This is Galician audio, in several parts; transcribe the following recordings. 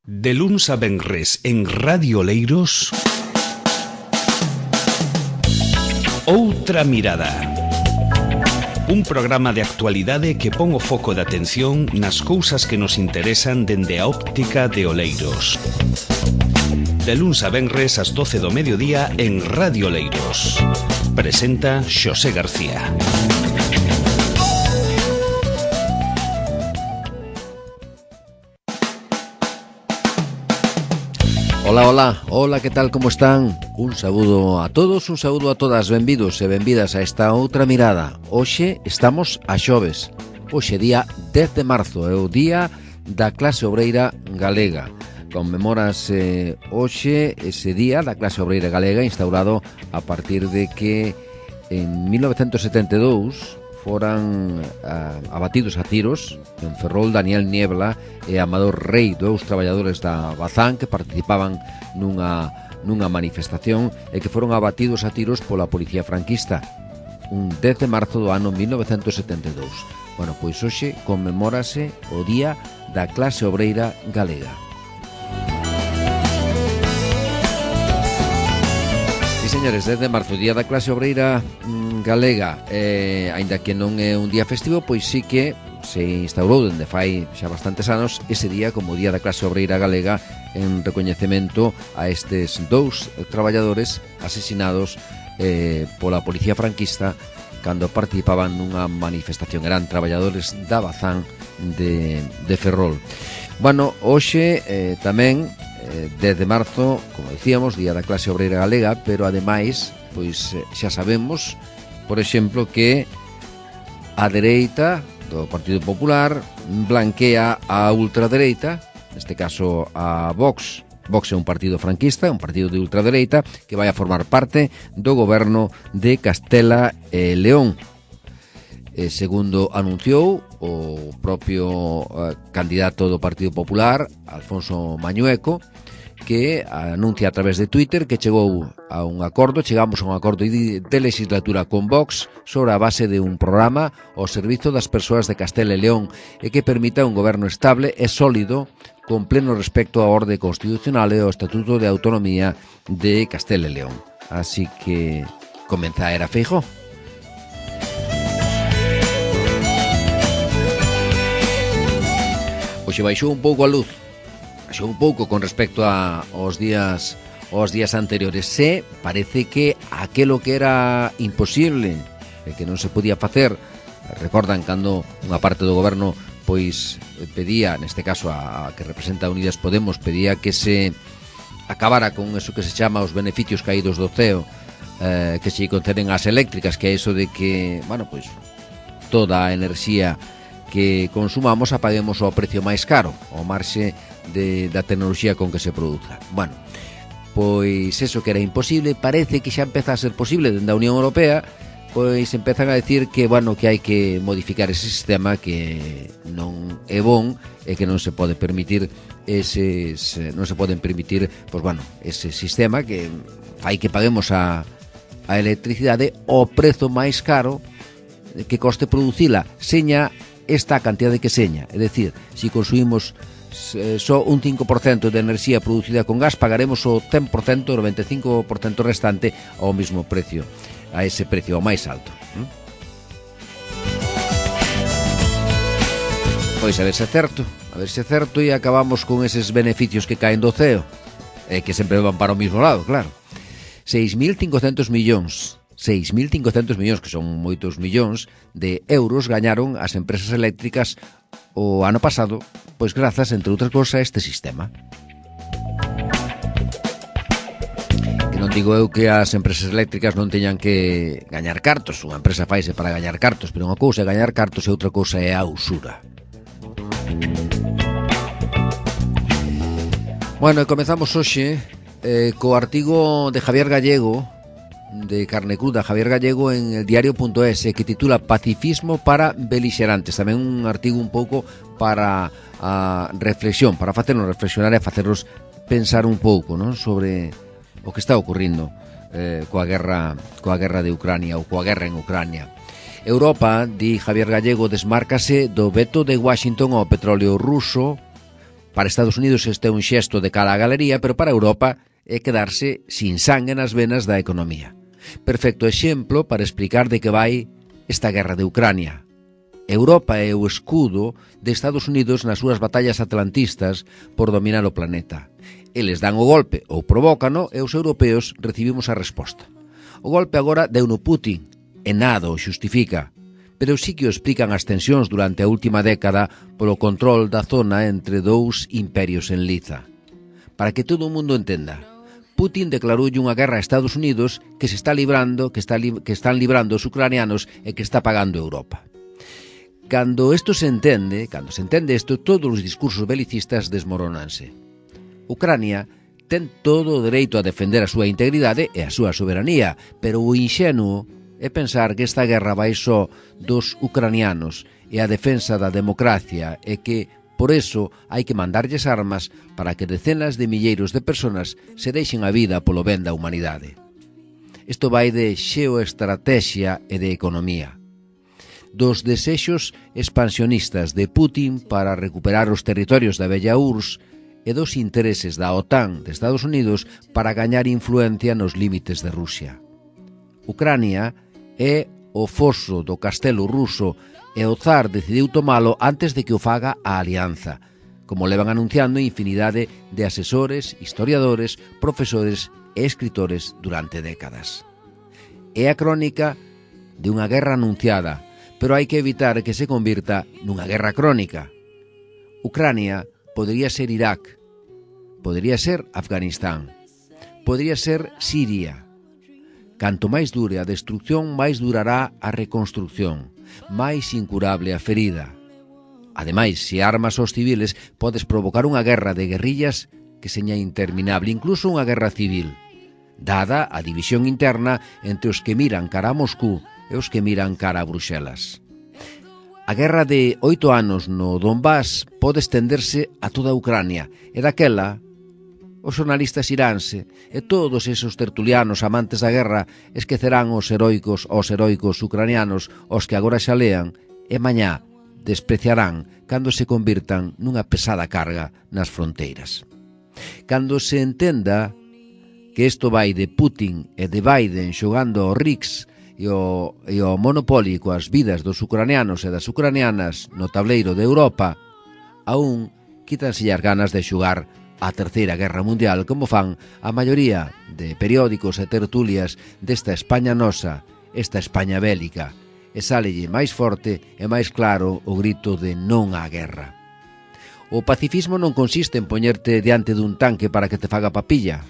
De luns a venres en Radio Oleiros, Outra Mirada. Un programa de actualidade que pon o foco de atención nas cousas que nos interesan dende a óptica de Oleiros. De luns a venres ás 12 do mediodía en Radio Oleiros. Presenta Xosé García. Hola, que tal, como están? Un saúdo a todos, un saúdo a todas, benvidos e benvidas a esta outra mirada. Hoxe estamos a xoves, hoxe día 10 de marzo, é o día da clase obreira galega. Conmemórase hoxe ese día da clase obreira galega instaurado a partir de que en 1972 foran abatidos a tiros en Ferrol Daniel Niebla e Amador Rei, dous traballadores da Bazán que participaban nunha manifestación e que foron abatidos a tiros pola policía franquista un 10 de marzo do ano 1972. Bueno, pois hoxe conmemórase o día da clase obreira galega. Señores, 10 de marzo, día da clase obreira galega, aínda que non é un día festivo, pois sí que se instaurou dende fai xa bastantes anos ese día como día da clase obreira galega en recoñecemento a estes dous traballadores asesinados pola policía franquista cando participaban nunha manifestación. Eran traballadores da Bazán de Ferrol. Bueno, hoxe tamén 10 de marzo, como dicíamos, día da clase obreira galega, pero ademais, pois xa sabemos, por exemplo, que a dereita do Partido Popular blanquea a ultradereita, neste caso a Vox. Vox é un partido franquista, un partido de ultradereita que vai a formar parte do goberno de Castela e León. Segundo anunciou o propio candidato do Partido Popular, Alfonso Mañueco, que anuncia a través de Twitter que chegamos a un acordo de legislatura con Vox sobre a base de un programa ao servizo das persoas de Castela e León e que permita un goberno estable e sólido con pleno respecto á orde constitucional e ao Estatuto de Autonomía de Castela e León. Así que comeza a era Feijóo. Hoxe baixou un pouco a luz, baixou un pouco con respecto aos días anteriores. Se parece que aquelo que era imposible e que non se podía facer, recordan cando unha parte do goberno pois pedía, neste caso a que representa Unidas Podemos, pedía que se acabara con eso que se chama os beneficios caídos do ceo, que se conceden ás eléctricas, que é iso de que, bueno, pois toda a enerxía que consumamos a paguemos ao precio máis caro, ao marxe da tecnoloxía con que se produza. Bueno, pois eso que era imposible, parece que xa empeza a ser posible dende a Unión Europea, pois empezan a decir que, bueno, que hai que modificar ese sistema que non é bon e que non se pode permitir ese sistema que fai que paguemos a electricidade ao prezo máis caro que coste producila, seña esta cantidade que seña, é dicir, se consumimos só un 5% de enerxía producida con gas, pagaremos o 100%, o 95% restante ao mesmo precio, a ese precio, ao máis alto. Pois a ver se é certo e acabamos con eses beneficios que caen do ceo, e que sempre van para o mesmo lado, claro. 6.500 millóns, que son moitos millóns de euros, gañaron as empresas eléctricas o ano pasado, pois grazas, entre outras cousas, a este sistema. Que non digo eu que as empresas eléctricas non teñan que gañar cartos, unha empresa faise para gañar cartos, pero unha cousa é gañar cartos e outra cousa é a usura. Bueno, e comezamos hoxe co artigo de Javier Gallego, de Carne Cruda, Javier Gallego, en el diario.es, que titula Pacifismo para beligerantes. Tamén un artigo un pouco para a reflexión, para facernos reflexionar e facernos pensar un pouco, non, sobre o que está ocurrindo coa guerra de Ucrania ou coa guerra en Ucrania. Europa, di Javier Gallego, desmárcase do veto de Washington ao petróleo ruso Para Estados Unidos este é un xesto de cara á galería, pero para Europa é quedarse sin sangue nas venas da economía. Perfecto exemplo para explicar de que vai esta guerra de Ucrania. Europa é o escudo de Estados Unidos nas súas batallas atlantistas por dominar o planeta. Eles dan o golpe ou provócano e os europeos recibimos a resposta. O golpe agora deu no Putin e nada o xustifica, pero sí que o explican as tensións durante a última década polo control da zona entre dous imperios en liza. Para que todo o mundo entenda, Putin declaroulle unha guerra a Estados Unidos que se está librando, que están librando os ucranianos e que está pagando Europa. Cando se entende isto, todos os discursos belicistas desmoronanse. Ucrania ten todo o dereito a defender a súa integridade e a súa soberanía, pero o inxenuo é pensar que esta guerra vai só dos ucranianos e a defensa da democracia e que, por eso, hai que mandarlles armas para que decenas de milleiros de personas se deixen a vida polo ben da humanidade. Isto vai de xeoestrategia e de economía. Dos desexos expansionistas de Putin para recuperar os territorios da vella URSS e dos intereses da OTAN de Estados Unidos para gañar influencia nos límites de Rusia. Ucrania é o foso do castelo ruso e o zar decidiu tomalo antes de que o faga a alianza, como levan anunciando infinidade de asesores, historiadores, profesores e escritores durante décadas. É a crónica de unha guerra anunciada, pero hai que evitar que se convirta nunha guerra crónica. Ucrania podría ser Irak, podría ser Afganistán, podría ser Siria. Canto máis dure a destrucción, máis durará a reconstrucción, máis incurable a ferida. Ademais, se armas aos civiles, podes provocar unha guerra de guerrillas que seña interminable, incluso unha guerra civil, dada a división interna entre os que miran cara a Moscú e os que miran cara a Bruxelas. A guerra de 8 anos no Donbass pode estenderse a toda a Ucrania, e daquela os xornalistas iránse e todos esos tertulianos amantes da guerra esquecerán os heroicos ucranianos os que agora xa lean e mañá despreciarán cando se convirtan nunha pesada carga nas fronteiras. Cando se entenda que isto vai de Putin e de Biden xogando ao Rix e o Monopoly coas vidas dos ucranianos e das ucranianas no tableiro de Europa, aún quítanse as ganas de xogar a Terceira Guerra Mundial como fan a maioría de periódicos e tertulias desta España nosa, esta España bélica, e sálelle máis forte e máis claro o grito de non á guerra. O pacifismo non consiste en poñerte diante dun tanque para que te faga papilla,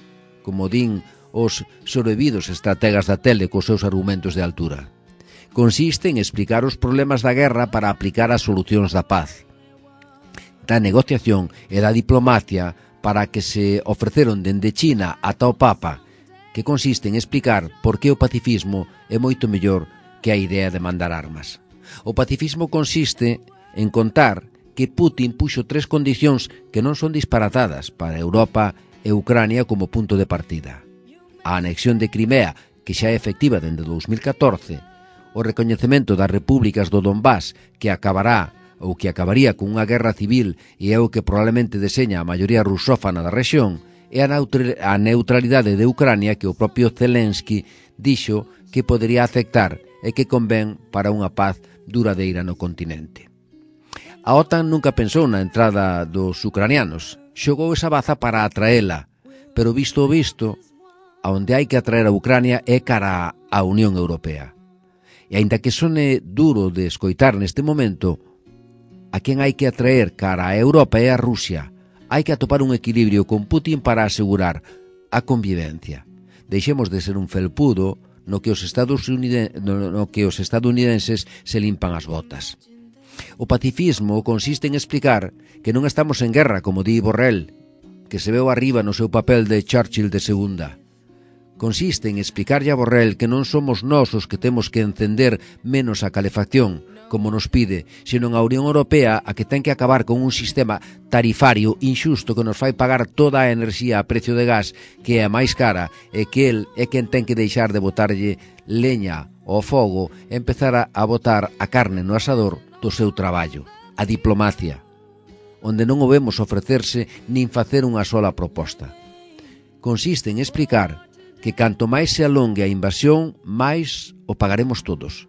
como din os sobrevividos estrategas da tele cos seus argumentos de altura. Consiste en explicar os problemas da guerra para aplicar as solucións da paz, da negociación e da diplomacia para que se ofreceron dende China ata o Papa, que consiste en explicar por que o pacifismo é moito mellor que a idea de mandar armas. O pacifismo consiste en contar que Putin puxo 3 condicións que non son disparatadas para Europa e Ucrania como punto de partida: a anexión de Crimea, que xa é efectiva dende 2014, o recoñecemento das repúblicas do Donbass, que acabaría con unha guerra civil e é o que probablemente deseña a maioría rusófana da rexión, e a neutralidade de Ucrania, que o propio Zelensky dixo que podería aceptar e que convén para unha paz duradeira no continente. A OTAN nunca pensou na entrada dos ucranianos, xogou esa baza para atraela, pero visto o visto, a onde hai que atraer a Ucrania é cara á Unión Europea. E aínda que sone duro de escoitar neste momento, a quen hai que atraer cara a Europa é a Rusia. Hai que atopar un equilibrio con Putin para asegurar a convivencia. Deixemos de ser un felpudo no que os estadounidenses se limpan as botas. O pacifismo consiste en explicar que non estamos en guerra, como di Borrell, que se veu arriba no seu papel de Churchill de segunda. Consiste en explicarlle a Borrell que non somos nós os que temos que encender menos a calefacción, como nos pide, senón a Unión Europea a que ten que acabar con un sistema tarifario inxusto que nos fai pagar toda a enerxía a precio de gas, que é a máis cara, e que el é quen ten que deixar de botarlle leña ao fogo e empezar a botar a carne no asador do seu traballo, a diplomacia. onde non o vemos ofrecerse nin facer unha sola proposta. Consiste en explicar que canto máis se alongue a invasión, máis o pagaremos todos.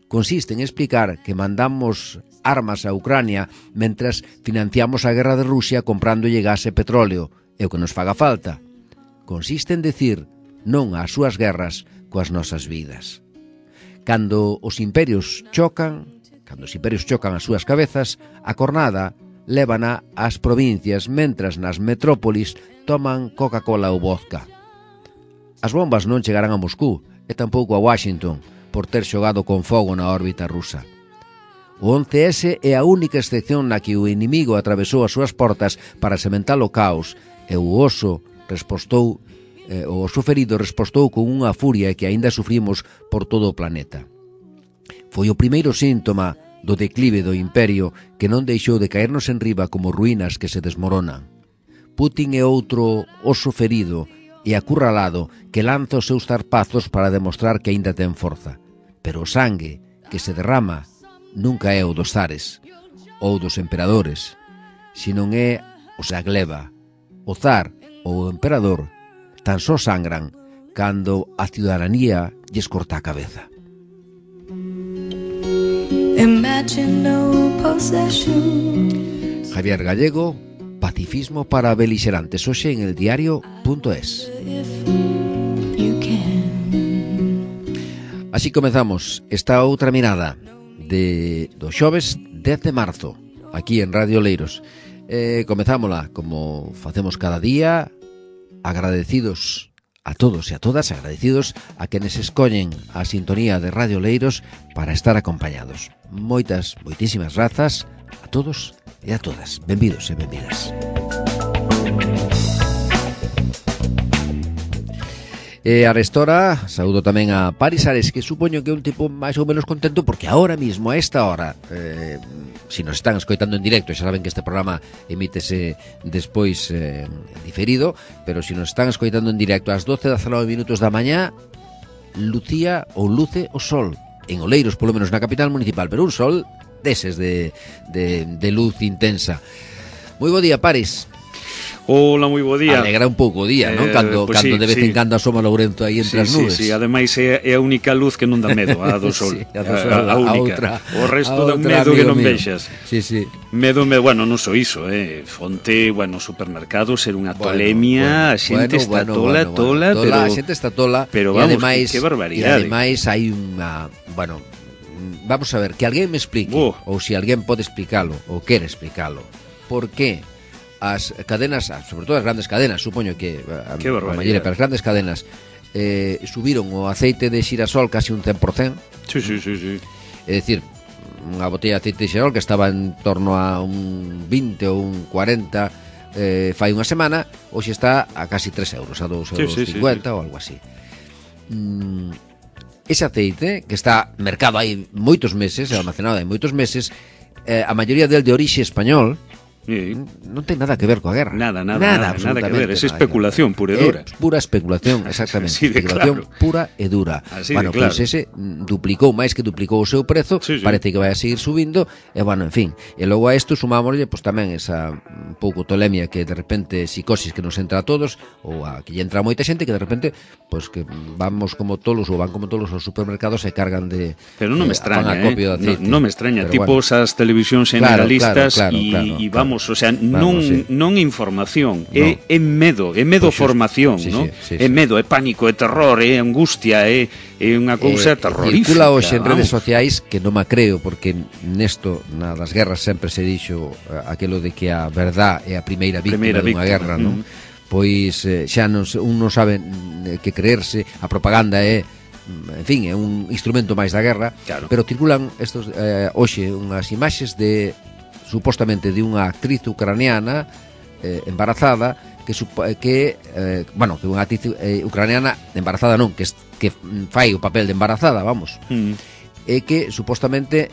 Consiste en explicar que mandamos armas a Ucrania mentras financiamos a guerra de Rusia comprándolle gas e petróleo, e o que nos faga falta. Consiste en decir non ás súas guerras coas nosas vidas. Cando os imperios chocan as súas cabezas, a cornada lévana ás provincias, mentras nas metrópolis toman Coca-Cola ou vodka. As bombas non chegarán a Moscú e tampouco a Washington por ter xogado con fogo na órbita rusa. O 11S é a única excepción na que o inimigo atravesou as súas portas para sementar o caos e o oso ferido respostou con unha furia que aínda sufrimos por todo o planeta. Foi o primeiro síntoma do declive do imperio que non deixou de caernos enriba como ruínas que se desmoronan. Putin é outro oso ferido e acurralado que lanza os seus zarpazos para demostrar que aínda ten forza. Pero o sangue que se derrama nunca é o dos zares ou dos emperadores, senón é o da gleba. O zar ou o emperador tan só sangran cando a ciudadanía lles corta a cabeza. Javier Gallego, Pacifismo para beligerantes, hoxe en eldiario.es. Así comezamos esta outra mirada do xoves 10 de marzo, aquí en Radio Oleiros. Comezámola como facemos cada día, agradecidos a todos e a todas, agradecidos a quenes escollen a sintonía de Radio Oleiros para estar acompañados. Moitísimas grazas a todos e a todas. Benvidos e benvidas. E a restora, saúdo tamén a Paris Ares, que supoño que é un tipo máis ou menos contento porque ahora mismo, a esta hora, si nos están escoitando en directo, xa saben que este programa emítese despois diferido, pero si nos están escoitando en directo ás 12:19 minutos da mañá, lucía ou luce o sol en Oleiros, polo menos na capital municipal, pero un sol deses de luz intensa. Moi bo día, Paris. Hola, moi bo día. Alegra un pouco o día, non? Cando de vez en cando asoma Lourento aí entre as nubes. Sí, ademais é a única luz que non dá medo, a do sol. A única. O resto dá medo que non vexas. Sí. Medo, bueno, non só iso, fonte, supermercados, ser unha tolemia, a xente está tola, pero a xente está tola, pero vamos, que barbaridade. E ademais hai unha, vamos a ver, que alguén me explique, ou se alguén pode explicalo, ou quere explicalo, por que as cadenas, sobre todo as grandes cadenas, supoño que a maioría, pero as grandes cadenas subiron o aceite de xirasol casi un 100%. Sí. É dicir, unha botella de aceite de xirasol que estaba en torno a un 20 ou un 40 fai unha semana, hoxe está a casi 3 euros, a 2,50 ou algo así. Ese aceite que está mercado hai moitos meses, almacenado hai moitos meses, a maioría del de orixe español, non ten nada que ver coa guerra. Nada que ver, é especulación pura e dura. Pura especulación, exactamente. Especulación pura e dura. Pois ese duplicou, máis que duplicou o seu prezo, parece que vai a seguir subindo, e en fin. E logo a isto sumámoslle tamén esa un pouco tolemia que de repente psicosis que nos entra a todos, ou a que lle entra a moita xente que de repente, que vamos como tolos ou van como tolos aos supermercados e cargan de Pero non me extraña, non me extraña, tipo esas televisións generalistas e vamos, o sea, non información, é medo, formación, non? É medo, é pánico, é terror, é angustia, é unha cousa terrorífica. Circula hoxe en redes sociais que non me creo, porque nesto, das guerras sempre se dixo aquelo de que a verdad é a primeira víctima dunha guerra, non? Pois xa un non sabe que creerse, a propaganda é, en fin, é un instrumento máis da guerra, pero circulan estos hoxe unhas imaxes de supostamente de unha actriz ucraniana embarazada que unha actriz ucraniana embarazada non, que fai o papel de embarazada, vamos. E que supostamente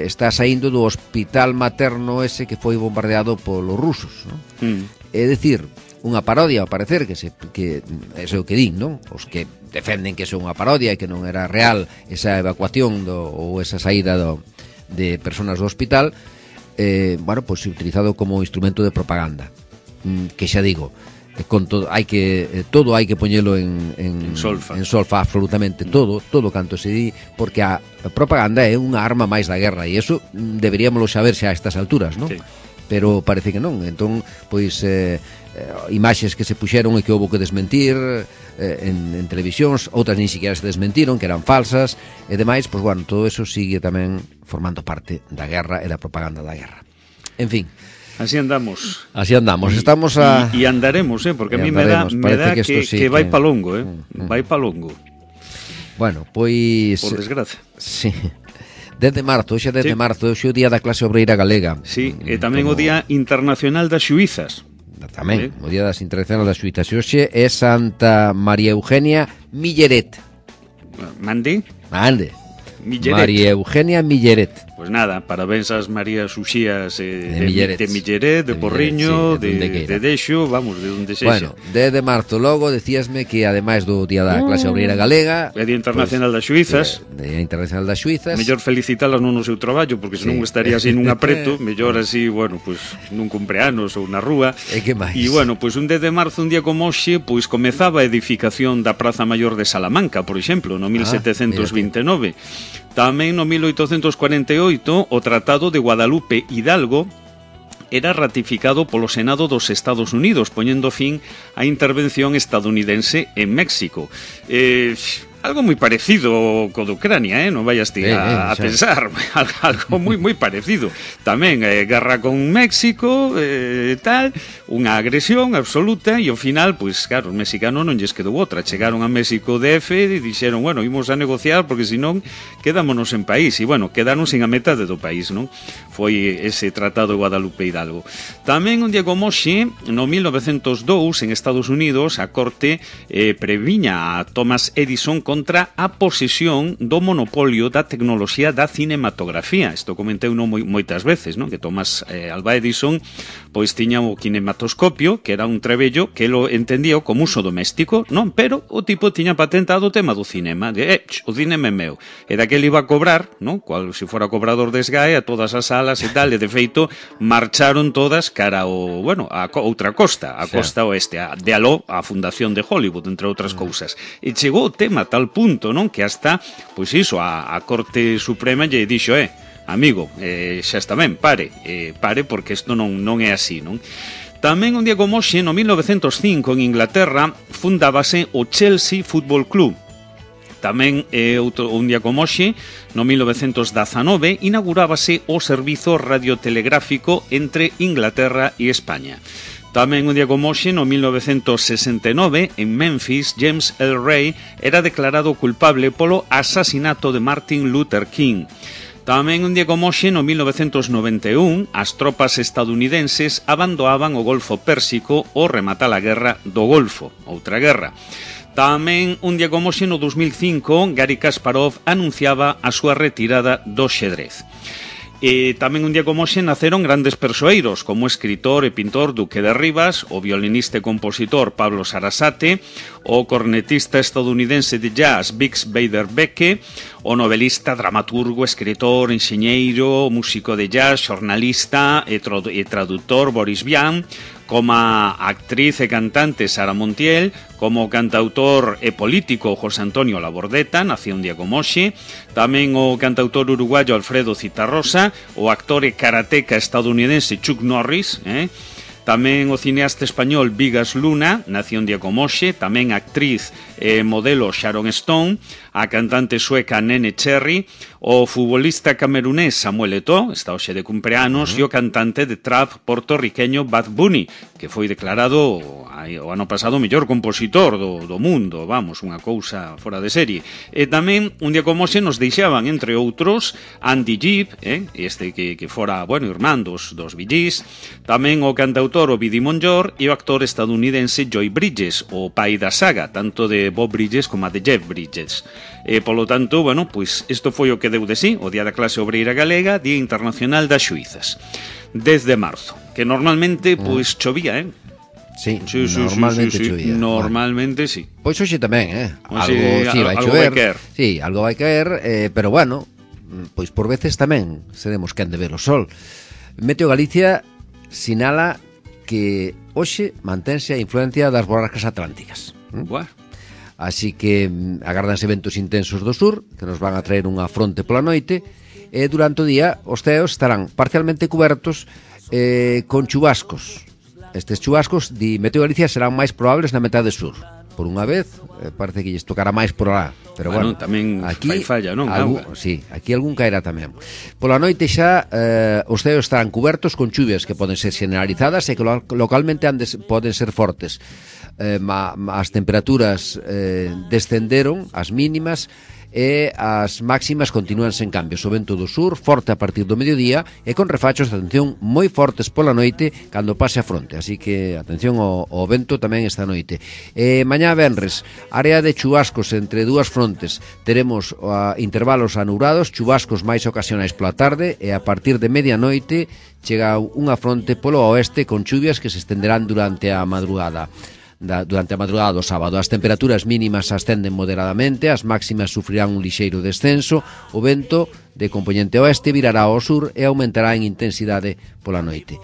está saindo do hospital materno ese que foi bombardeado polos rusos, non? É dicir, unha parodia, ao parecer, que é o que din, non? Os que defenden que é unha parodia e que non era real esa evacuación ou esa saída de personas do hospital, pois utilizado como instrumento de propaganda, que xa digo, con todo hai que poñelo en solfa, absolutamente todo canto se di, porque a propaganda é unha arma máis da guerra, e eso deberíamoslo saber xa a estas alturas, non? Sí. Pero parece que non. Entón, pois imaxes que se puxeron e que houve que desmentir en televisións, outras nin siquiera se desmentiron, que eran falsas e demais, pois bueno, todo eso sigue tamén formando parte da guerra e da propaganda da guerra. En fin, así andamos. Estamos a... E andaremos, porque a mí me dá que vai pa longo, vai pa longo. Bueno, pois... Por desgracia. Sí. Desde marzo, hoxe é 10 de marzo, hoxe é o Día da Clase Obreira Galega. Sí, e tamén o Día Internacional das Xuízas. Tamén, o Día das Internacional das Xuízas. E hoxe é Santa María Eugenia Milleret. Mande. Milleret. María Eugenia Milleret. Pois nada, parabéns ás Marías Uxías de Milleret, de Porriño, sí, de Deixo, vamos, de onde sexa. Bueno, 10 de marzo logo decíasme que ademais do Día da Clase Obreira Galega, é Día Internacional das Xuízas. Día Internacional das Xuízas. Mellor felicitalas non no seu traballo, porque senón estaría así nun apreto, mellor así, bueno, pois nun cumpleanos ou na rúa. E que máis? E bueno, pois un 10 de marzo, un día como hoxe, pois comezaba a edificación da Praza Maior de Salamanca, por exemplo, no 1729. Tamén no 1848 o Tratado de Guadalupe Hidalgo era ratificado polo Senado dos Estados Unidos, poñendo fin á intervención estadounidense en México. Algo moi parecido co de Ucrania, non vayas ti a pensar, algo moi parecido. Tamén guerra con México, tal, unha agresión absoluta, e ao final, pois claro, os mexicanos non lles quedou outra, chegaron a México DF e dixeron, bueno, imos a negociar porque senón quedámonos en país, e bueno, quedaron sin a metade do país, non? Foi ese Tratado de Guadalupe Hidalgo. Tamén un día como hoxe, no 1902, en Estados Unidos, a Corte previña a Thomas Edison contra a posesión do monopolio da tecnoloxía da cinematografía. Isto comentei moitas veces, non? Que Thomas Alva Edison pois tiña o kinematoscopio, que era un trebello que lo entendía como uso doméstico, non? Pero o tipo tiña patentado o tema do cinema, o cinema é meu. E daquele iba a cobrar, non? Cual se fora cobrador de SGAE a todas as salas e tal, e de feito marcharon todas cara ao, bueno, a outra costa, a costa oeste, de aló a Fundación de Hollywood, entre outras cousas. E chegou o tema a tal punto, non? Que hasta, pois iso, a Corte Suprema lle dixo, amigo, xa está ben, pare, porque isto non é así, non? Tamén un día como hoxe, no 1905, en Inglaterra, fundábase o Chelsea Football Club. Tamén un día como hoxe, no 1919, inaugurábase o servizo radiotelegráfico entre Inglaterra e España. Tamén un día como hoxe, no 1969, en Memphis, James L. Ray era declarado culpable polo asasinato de Martin Luther King. Tamén un día como hoxe, no 1991, as tropas estadounidenses abandonaban o Golfo Pérsico ao rematar a guerra do Golfo, outra guerra. Tamén un día como hoxe, no 2005, Garry Kasparov anunciaba a súa retirada do xadrez. E tamén un día como hoxe naceron grandes persoeiros, como o escritor e pintor Duque de Rivas, o violinista e compositor Pablo Sarasate, o cornetista estadounidense de jazz Bix Beiderbecke, o novelista, dramaturgo, escritor, enxeñeiro, músico de jazz, xornalista e traductor Boris Vian, como a actriz e cantante Sara Montiel, como o cantautor e político José Antonio Labordeta, nació un día como hoxe, tamén o cantautor uruguayo Alfredo Citarrosa, o actor e karateca estadounidense Chuck Norris, tamén o cineasta español Vigas Luna, nació un día como hoxe, tamén a actriz e modelo Sharon Stone, a cantante sueca Nene Cherry, o futbolista camerunés Samuel Eto'o, está hoxe de cumpleanos, e o cantante de trap portorriqueño Bad Bunny, que foi declarado o ano pasado o mellor compositor do mundo, vamos, unha cousa fora de serie. E tamén, un día como hoxe, nos deixaban, entre outros, Andy Gibb, este que fora, bueno, irmán dos Bee Gees, tamén o cantautor Ovidi Monllor e o actor estadounidense Joy Bridges, o pai da saga, tanto de Bob Bridges como a de Jeff Bridges. Polo tanto, bueno, pois isto foi o que deu de sí, o Día da Clase Obreira Galega, Día Internacional das Xuízas. 10 de marzo, que normalmente, pois, chovía, Sí, normalmente chovía. Normalmente, sí. Pois hoxe tamén, Algo vai chover. Sí, algo vai caer, pero bueno, pois por veces tamén seremos quen de ver o sol. Meteo Galicia sinala que hoxe mantense a influencia das borrascas atlánticas. Buah. Así que agárdanse ventos intensos do sur, que nos van a traer unha fronte pola noite, e durante o día os ceos estarán parcialmente cubertos con chubascos. Estes chubascos, di Meteo Galicia, serán máis probables na metade sur. Por unha vez, parece que lles tocará máis por lá. Pero bueno, tamén aquí falla, non? Sí, aquí algún caerá tamén. Pola noite xa os ceos estarán cubertos con chuvias que poden ser generalizadas e que localmente poden ser fortes. As temperaturas descenderon, as mínimas, e as máximas continúan sen cambios. O vento do sur forte a partir do mediodía e con refachos de atención moi fortes pola noite cando pase a fronte, así que atención ao vento tamén esta noite. Mañá venres, área de chubascos entre dúas frontes, teremos intervalos anubrados, chubascos máis ocasionais pola tarde e a partir de medianoite chega unha fronte polo oeste con chuvias que se estenderán durante a madrugada. Durante a madrugada do sábado. As temperaturas mínimas ascenden moderadamente, as máximas sufrirán un lixeiro descenso, o vento de compoñente oeste virará ao sur e aumentará en intensidade pola noite.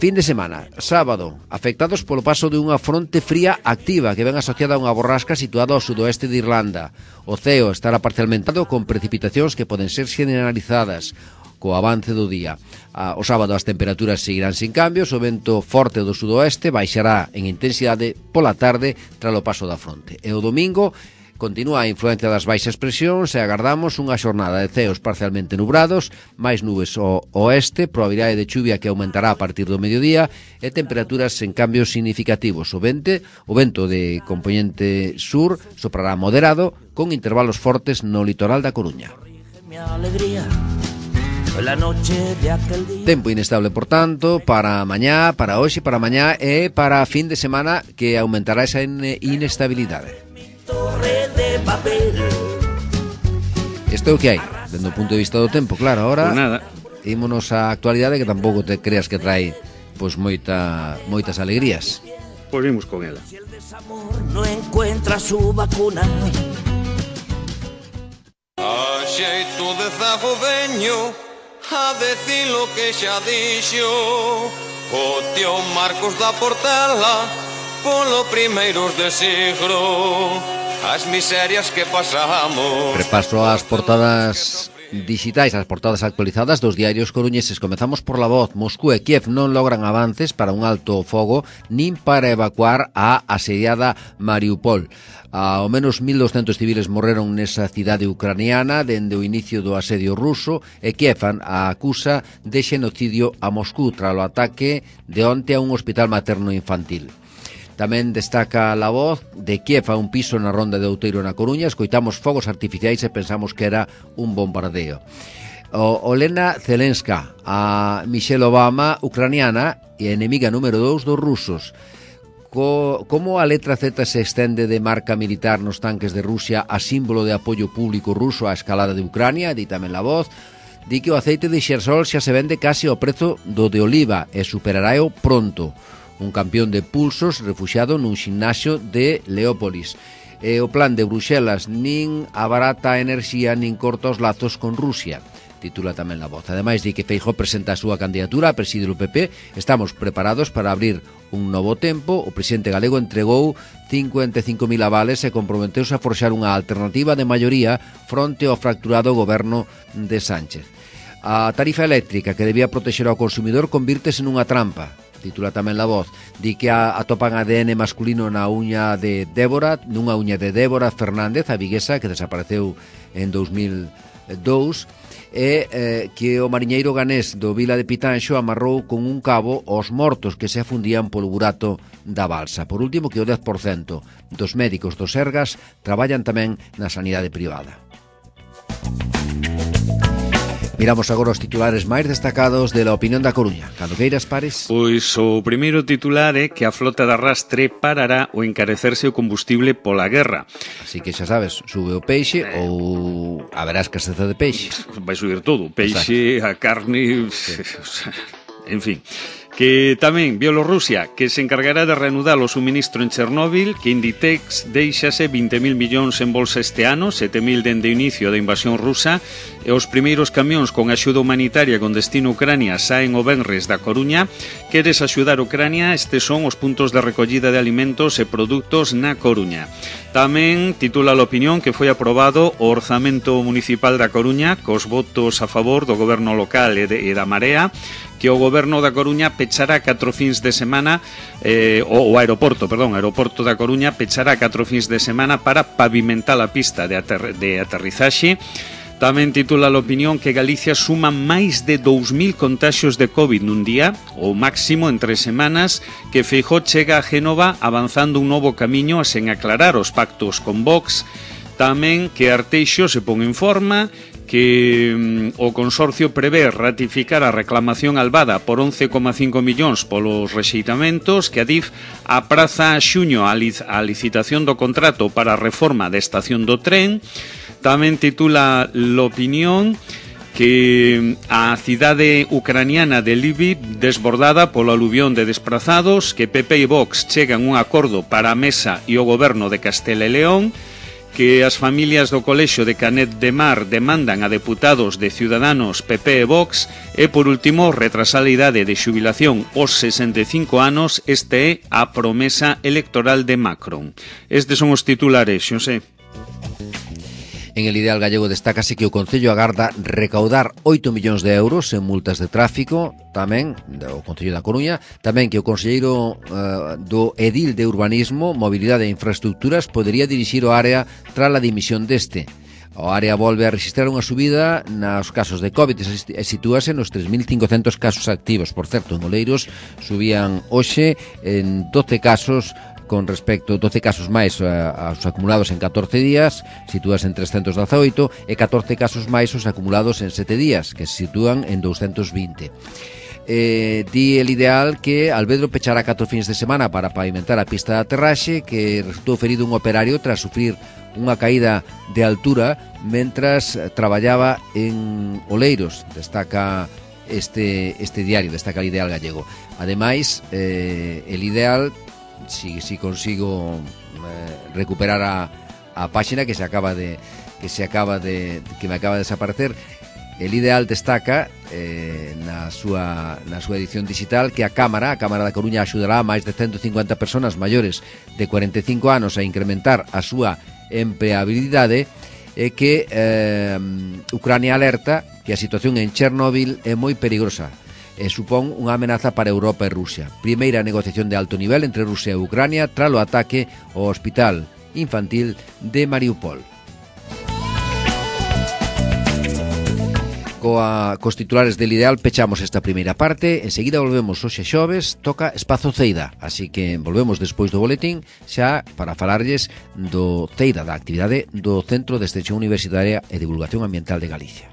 Fin de semana, sábado, afectados polo paso de unha fronte fría activa que ven asociada a unha borrasca situada ao sudoeste de Irlanda. O ceo estará parcialmente con precipitacións que poden ser generalizadas co avance do día. O sábado as temperaturas seguirán sin cambios, o vento forte do sudoeste baixará en intensidade pola tarde tras o paso da fronte. E o domingo continúa a influencia das baixas presións e agardamos unha xornada de ceos parcialmente nubrados, máis nubes ao oeste, probabilidade de chuvia que aumentará a partir do mediodía e temperaturas sen cambios significativos. O vento de compoñente sur soprará moderado con intervalos fortes no litoral da Coruña. Tempo inestable, por tanto, para mañá, para hoxe, para mañá e para fin de semana, que aumentará esa inestabilidade. Isto é o que hai, dende o punto de vista do tempo, claro. Ahora, ímonos á actualidade, que tampouco te creas que trae pois moitas alegrías. Pois vimos con ela. Si el desamor no encuentra su vacuna, a xeito de zago veño a decir lo que xa dixo o tío Marcos da Portela polo primeiros de siglo, as miserias que pasamos. Repaso as portadas digitais, as portadas actualizadas dos diarios coruñeses. Comezamos por La Voz. Moscú e Kiev non logran avances para un alto fogo nin para evacuar a asediada Mariupol. Ao menos 1.200 civiles morreron nesa cidade ucraniana dende o inicio do asedio ruso e Kiev acusa de xenocidio a Moscú tras o ataque de onte a un hospital materno infantil. Tamén destaca La Voz de Kiev a un piso na Ronda de Outeiro na Coruña. Escoitamos fogos artificiais e pensamos que era un bombardeo. Olena Zelenska, a Michelle Obama ucraniana e enemiga número 2 dos rusos. Como a letra Z se estende de marca militar nos tanques de Rusia a símbolo de apoio público ruso á escalada de Ucrania, di tamén La Voz, di que o aceite de xersol xa se vende case ao prezo do de oliva e superarao pronto. Un campeón de pulsos refuxiado nun ximnasio de Leópolis. E o plan de Bruxelas nin abarata a enerxía nin corta os lazos con Rusia, titula tamén La Voz. Ademais, di que Feijóo presenta a súa candidatura a presidir o PP. Estamos preparados para abrir un novo tempo. O presidente galego entregou 55.000 avales e comprometeuse a forxar unha alternativa de maioría fronte ao fracturado goberno de Sánchez. A tarifa eléctrica que debía protexer ao consumidor convírtese nunha trampa, titula tamén La Voz. Di que atopan ADN masculino na uña de Débora, nunha uña de Débora Fernández, a viguesa, que desapareceu en 2002, e que o mariñeiro ganés do Vila de Pitanxo amarrou con un cabo os mortos que se afundían polo burato da balsa. Por último, que o 10% dos médicos do Sergas traballan tamén na sanidade privada. Miramos agora os titulares máis destacados de la opinión da Coruña. Cando queiras, Pares. Pois o primeiro titular é que a flota de arrastre parará o encarecerse o combustible pola guerra. Así que xa sabes, sube o peixe ou haberá escaseza de peixe. Vai subir todo, o peixe, exacto, a carne, sí. En fin. Que tamén Bielorrusia, que se encargará de reanudar o suministro en Chernóbil, que Inditex deixase 20.000 millóns en bolsa este ano, 7.000 dende o inicio da invasión rusa, e os primeiros camións con axuda humanitaria con destino Ucrania saen o venres da Coruña. Queres axudar Ucrania? Estes son os puntos de recollida de alimentos e produtos na Coruña. Tamén titula a opinión que foi aprobado o orzamento municipal da Coruña cos votos a favor do goberno local e da Marea, que o goberno da Coruña pechará 4 fins de semana, o aeroporto da Coruña pechará 4 fins de semana para pavimentar a pista de aterrizaxe. Tamén titula a opinión que Galicia suma máis de 2.000 contaxios de COVID nun día, o máximo en 3 semanas, que Feijóo chega a Génova avanzando un novo camiño sen aclarar os pactos con Vox. Tamén que Arteixo se pon en forma, que o consorcio prevé ratificar a reclamación albada por 11,5 millóns polos rexeitamentos, que Adif apraza a xuño a licitación do contrato para a reforma da estación do tren. Tamén titula l'opinión que a cidade ucraniana de Lviv desbordada polo aluvión de desprazados, que PP e Vox chegan un acordo para a Mesa e o goberno de Castela e León, que as familias do colexio de Canet de Mar demandan a deputados de Ciudadanos, PP e Vox, e por último retrasar a idade de xubilación aos 65 anos. Este é a promesa electoral de Macron. Estes son os titulares, Xosé. En El Ideal Gallego destácase que o Concello agarda recaudar 8 millóns de euros en multas de tráfico, tamén o Concello da Coruña, tamén que o conselleiro do Edil de Urbanismo, Mobilidade e Infraestructuras podería dirixir o área tras a dimisión deste. O área volve a registrar unha subida nos casos de COVID e sitúase nos 3.500 casos activos. Por certo, en Oleiros subían hoxe en 12 casos con respecto 12 casos máis aos acumulados en 14 días, sitúas en 318, e 14 casos máis os acumulados en 7 días, que se sitúan en 220. Di El Ideal que Alvedro pechará 4 fins de semana para pavimentar a pista de aterraxe, que resultou ferido un operario tras sufrir unha caída de altura mentras traballaba en Oleiros. Destaca este diario, destaca El Ideal Gallego. Ademais, El Ideal, si consigo recuperar a páxina que me acaba de desaparecer, El Ideal destaca na súa edición digital que a Cámara da Coruña axudará a máis de 150 persoas maiores de 45 anos a incrementar a súa empleabilidade, e que Ucrania alerta que a situación en Chernobyl é moi perigosa e supón unha amenaza para Europa e Rusia. Primeira negociación de alto nivel entre Rusia e Ucrania tras o ataque ao hospital infantil de Mariupol. Cos titulares del Ideal pechamos esta primeira parte. Enseguida volvemos hoxe xoves, toca Espazo Ceida, así que volvemos despois do boletín xa para falarlles do Ceida, da actividade do Centro de Extensión Universitaria e Divulgación Ambiental de Galicia.